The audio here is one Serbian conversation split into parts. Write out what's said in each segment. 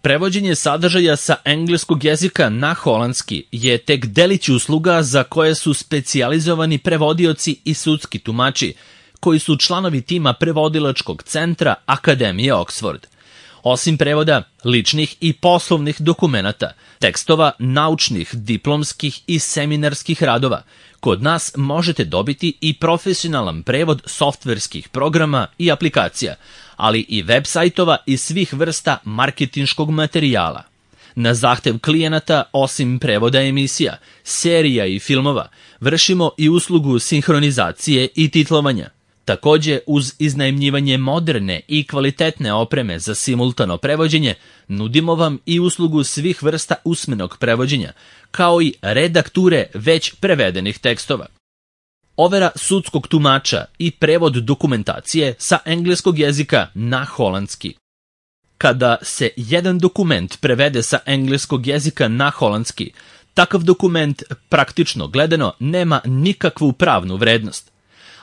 Prevođenje sadržaja sa engleskog jezika na holandski je tek delić usluga za koje su specijalizovani prevodioci i sudski tumači, koji su članovi tima prevodilačkog centra Akademije Oxford. Osim prevoda ličnih i poslovnih dokumenata, tekstova naučnih, diplomskih i seminarskih radova, kod nas možete dobiti i profesionalan prevod softverskih programa i aplikacija, ali i web sajtova i svih vrsta marketinškog materijala. Na zahtev klijenata, osim prevoda emisija, serija i filmova, vršimo i uslugu sinhronizacije i titlovanja. Takođe, uz iznajmljivanje moderne i kvalitetne opreme za simultano prevođenje, nudimo vam i uslugu svih vrsta usmenog prevođenja, kao i redakture već prevedenih tekstova. Overa sudskog tumača i prevod dokumentacije sa engleskog jezika na holandski. Kada se jedan dokument prevede sa engleskog jezika na holandski, takav dokument, praktično gledano, nema nikakvu pravnu vrednost.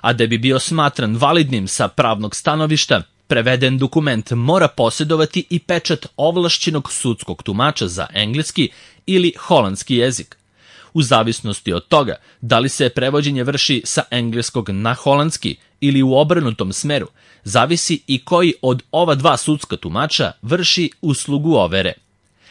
A da bi bio smatran validnim sa pravnog stanovišta, preveden dokument mora posjedovati i pečat ovlašćenog sudskog tumača za engleski ili holandski jezik. U zavisnosti od toga da li se prevođenje vrši sa engleskog na holandski ili u obrnutom smeru, zavisi i koji od ova dva sudska tumača vrši uslugu overe.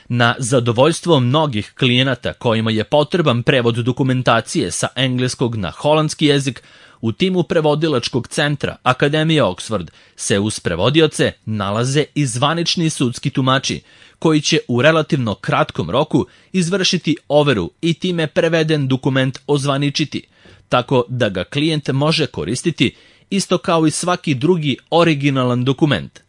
Na zadovoljstvo mnogih klijenata kojima je potreban prevod dokumentacije sa engleskog na holandski jezik, u timu prevodilačkog centra Akademije Oxford se uz prevodioce nalaze i zvanični sudski tumači, koji će u relativno kratkom roku izvršiti overu i time preveden dokument ozvaničiti, tako da ga klijent može koristiti isto kao i svaki drugi originalan dokument.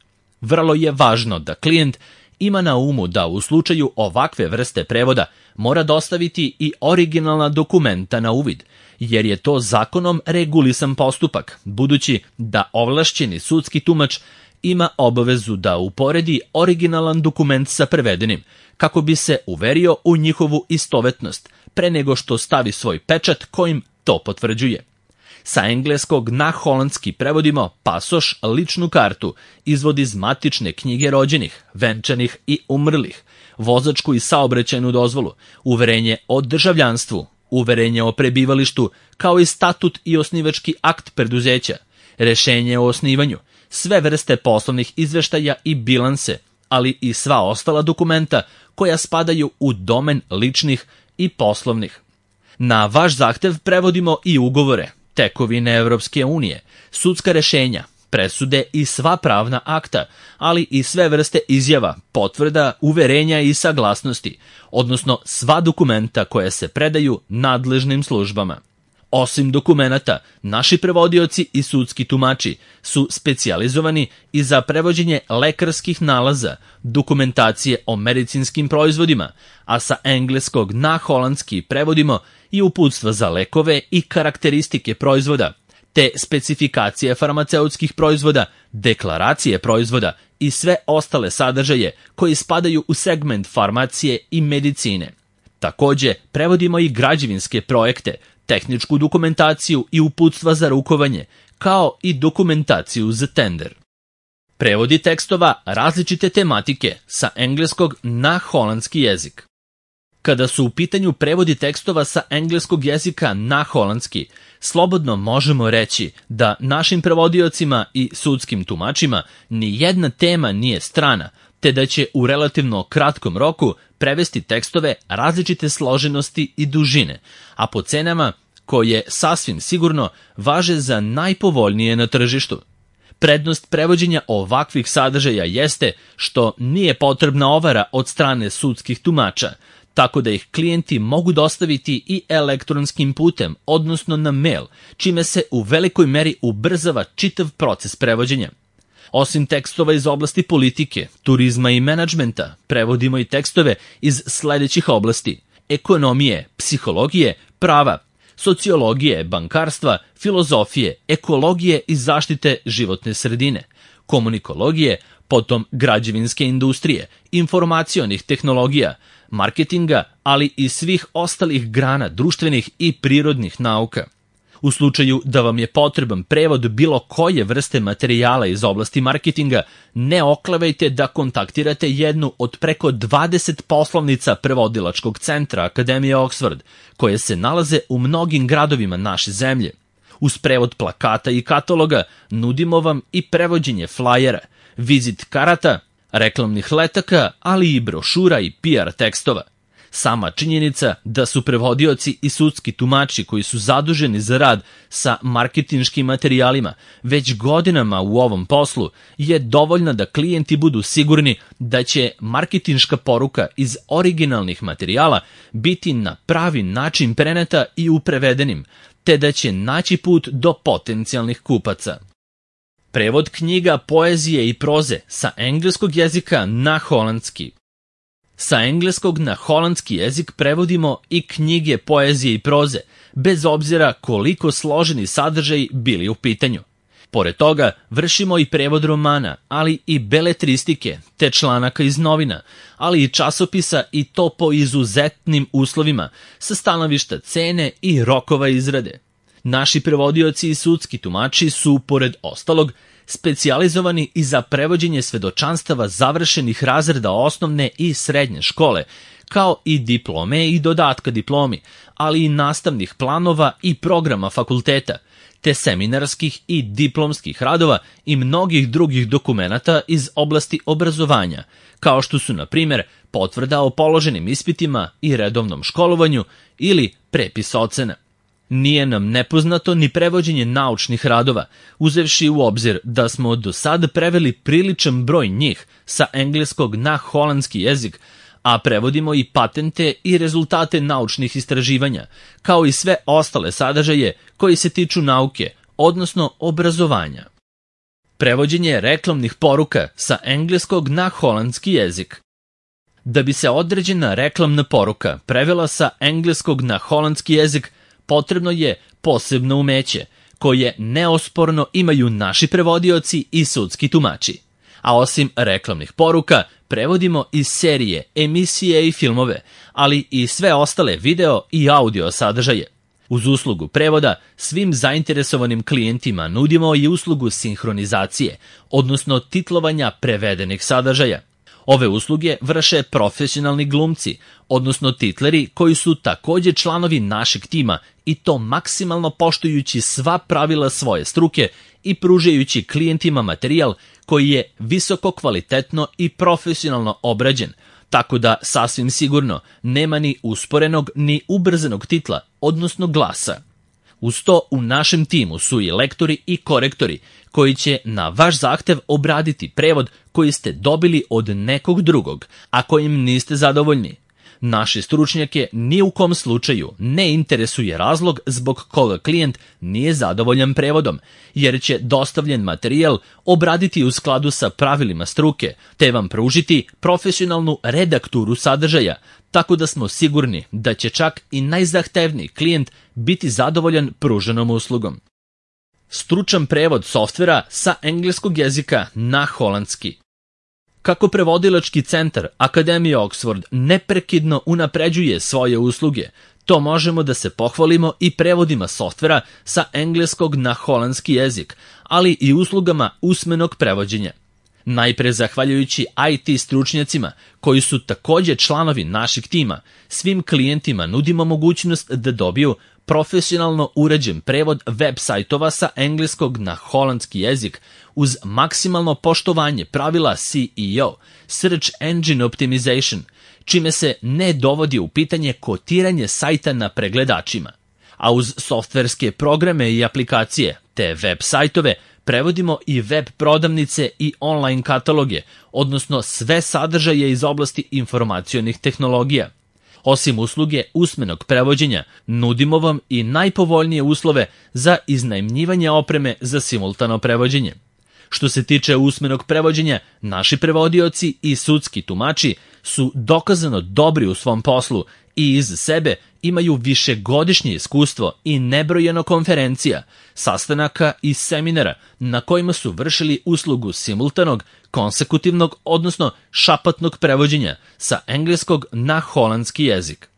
Vrlo je važno da klijent ima na umu da u slučaju ovakve vrste prevoda mora dostaviti i originalna dokumenta na uvid, jer je to zakonom regulisan postupak, budući da ovlašćeni sudski tumač ima obavezu da uporedi originalan dokument sa prevedenim, kako bi se uverio u njihovu istovetnost, pre nego što stavi svoj pečat kojim to potvrđuje. Sa engleskog na holandski prevodimo pasoš, ličnu kartu, izvod iz matične knjige rođenih, venčanih i umrlih, vozačku i saobraćajnu dozvolu, uverenje o državljanstvu, uverenje o prebivalištu, kao i statut i osnivački akt preduzeća, rešenje o osnivanju, sve vrste poslovnih izveštaja i bilanse, ali i sva ostala dokumenta koja spadaju u domen ličnih i poslovnih. Na vaš zahtev prevodimo i ugovore, tekovine Evropske unije, sudska rešenja, presude i sva pravna akta, ali i sve vrste izjava, potvrda, uverenja i saglasnosti, odnosno sva dokumenta koja se predaju nadležnim službama. Osim dokumenata, naši prevodioci i sudski tumači su specijalizovani i za prevođenje lekarskih nalaza, dokumentacije o medicinskim proizvodima, a sa engleskog na holandski prevodimo i uputstva za lekove i karakteristike proizvoda, te specifikacije farmaceutskih proizvoda, deklaracije proizvoda i sve ostale sadržaje koji spadaju u segment farmacije i medicine. Takođe, prevodimo i građevinske projekte, tehničku dokumentaciju i uputstva za rukovanje, kao i dokumentaciju za tender. Prevodi tekstova različite tematike sa engleskog na holandski jezik. Kada su u pitanju prevodi tekstova sa engleskog jezika na holandski, slobodno možemo reći da našim prevodiocima i sudskim tumačima ni jedna tema nije strana, te da će u relativno kratkom roku prevesti tekstove različite složenosti i dužine, a po cenama koje sasvim sigurno važe za najpovoljnije na tržištu. Prednost prevođenja ovakvih sadržaja jeste što nije potrebna overa od strane sudskih tumača, tako da ih klijenti mogu dostaviti i elektronskim putem, odnosno na mail, čime se u velikoj meri ubrzava čitav proces prevođenja. Osim tekstova iz oblasti politike, turizma i menadžmenta, prevodimo i tekstove iz sledećih oblasti: ekonomije, psihologije, prava, sociologije, bankarstva, filozofije, ekologije i zaštite životne sredine, komunikologije, potom građevinske industrije, informacionih tehnologija, marketinga, ali i svih ostalih grana društvenih i prirodnih nauka. U slučaju da vam je potreban prevod bilo koje vrste materijala iz oblasti marketinga, ne oklevajte da kontaktirate jednu od preko 20 poslovnica prevodilačkog centra Akademije Oxford, koje se nalaze u mnogim gradovima naše zemlje. Uz prevod plakata i kataloga nudimo vam i prevođenje flajera, vizit karata, reklamnih letaka, ali i brošura i PR tekstova. Sama činjenica da su prevodioci i sudski tumači koji su zaduženi za rad sa marketinškim materijalima već godinama u ovom poslu je dovoljna da klijenti budu sigurni da će marketinška poruka iz originalnih materijala biti na pravi način preneta i u prevedenim, te da će naći put do potencijalnih kupaca. Prevod knjiga, poezije i proze sa engleskog jezika na holandski. Sa engleskog na holandski jezik prevodimo i knjige, poezije i proze, bez obzira koliko složeni sadržaji bili u pitanju. Pored toga, vršimo i prevod romana, ali i beletristike, te članaka iz novina, ali i časopisa, i to po izuzetnim uslovima, sa stanovišta cene i rokova izrade. Naši prevodioci i sudski tumači su, pored ostalog, specijalizovani i za prevođenje svedočanstava završenih razreda osnovne i srednje škole, kao i diplome i dodatka diplomi, ali i nastavnih planova i programa fakulteta, te seminarskih i diplomskih radova i mnogih drugih dokumenata iz oblasti obrazovanja, kao što su, na primjer, potvrda o položenim ispitima i redovnom školovanju ili prepis ocena. Nije nam nepoznato ni prevođenje naučnih radova, uzevši u obzir da smo do sad preveli priličan broj njih sa engleskog na holandski jezik, a prevodimo i patente i rezultate naučnih istraživanja, kao i sve ostale sadržaje koji se tiču nauke, odnosno obrazovanja. Prevođenje reklamnih poruka sa engleskog na holandski jezik. Da bi se određena reklamna poruka prevela sa engleskog na holandski jezik, potrebno je posebno umeće, koje neosporno imaju naši prevodioci i sudski tumači. A osim reklamnih poruka, prevodimo i serije, emisije i filmove, ali i sve ostale video i audio sadržaje. Uz uslugu prevoda, svim zainteresovanim klijentima nudimo i uslugu sinhronizacije, odnosno titlovanja prevedenih sadržaja. Ove usluge vrše profesionalni glumci, odnosno titleri koji su također članovi našeg tima, i to maksimalno poštujući sva pravila svoje struke i pružajući klijentima materijal koji je visoko kvalitetno i profesionalno obrađen, tako da sasvim sigurno nema ni usporenog ni ubrzanog titla, odnosno glasa. Uz to u našem timu su i lektori i korektori koji će na vaš zahtev obraditi prevod koji ste dobili od nekog drugog, a kojim niste zadovoljni. Naše stručnjake ni u kom slučaju ne interesuje razlog zbog koga klijent nije zadovoljan prevodom, jer će dostavljen materijal obraditi u skladu sa pravilima struke, te vam pružiti profesionalnu redakturu sadržaja, tako da smo sigurni da će čak i najzahtevniji klijent biti zadovoljan pruženom uslugom. Stručan prevod softvera sa engleskog jezika na holandski. Kako prevodilački centar Akademije Oxford neprekidno unapređuje svoje usluge, to možemo da se pohvalimo i prevodima softvera sa engleskog na holandski jezik, ali i uslugama usmenog prevođenja. Najpre zahvaljujući IT stručnjacima, koji su također članovi našeg tima, svim klijentima nudimo mogućnost da dobiju profesionalno uređen prevod web sajtova sa engleskog na holandski jezik uz maksimalno poštovanje pravila SEO, Search Engine Optimization, čime se ne dovodi u pitanje kotiranje sajta na pregledačima. A uz softverske programe i aplikacije te web sajtove prevodimo i web prodavnice i online kataloge, odnosno sve sadržaje iz oblasti informacionih tehnologija. Osim usluge usmenog prevođenja, nudimo vam i najpovoljnije uslove za iznajmljivanje opreme za simultano prevođenje. Što se tiče usmenog prevođenja, naši prevodioci i sudski tumači su dokazano dobri u svom poslu i iz sebe imaju višegodišnje iskustvo i nebrojeno konferencija, sastanaka i seminara na kojima su vršili uslugu simultanog, konsekutivnog, odnosno šapatnog prevođenja sa engleskog na holandski jezik.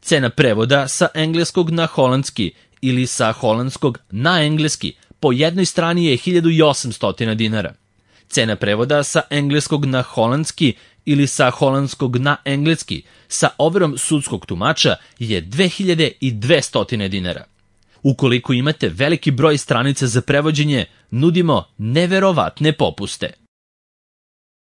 Cena prevoda sa engleskog na holandski ili sa holandskog na engleski po jednoj strani je 1800 dinara. Cena prevoda sa engleskog na holandski ili sa holandskog na engleski sa overom sudskog tumača je 2200 dinara. Ukoliko imate veliki broj stranica za prevođenje, nudimo neverovatne popuste.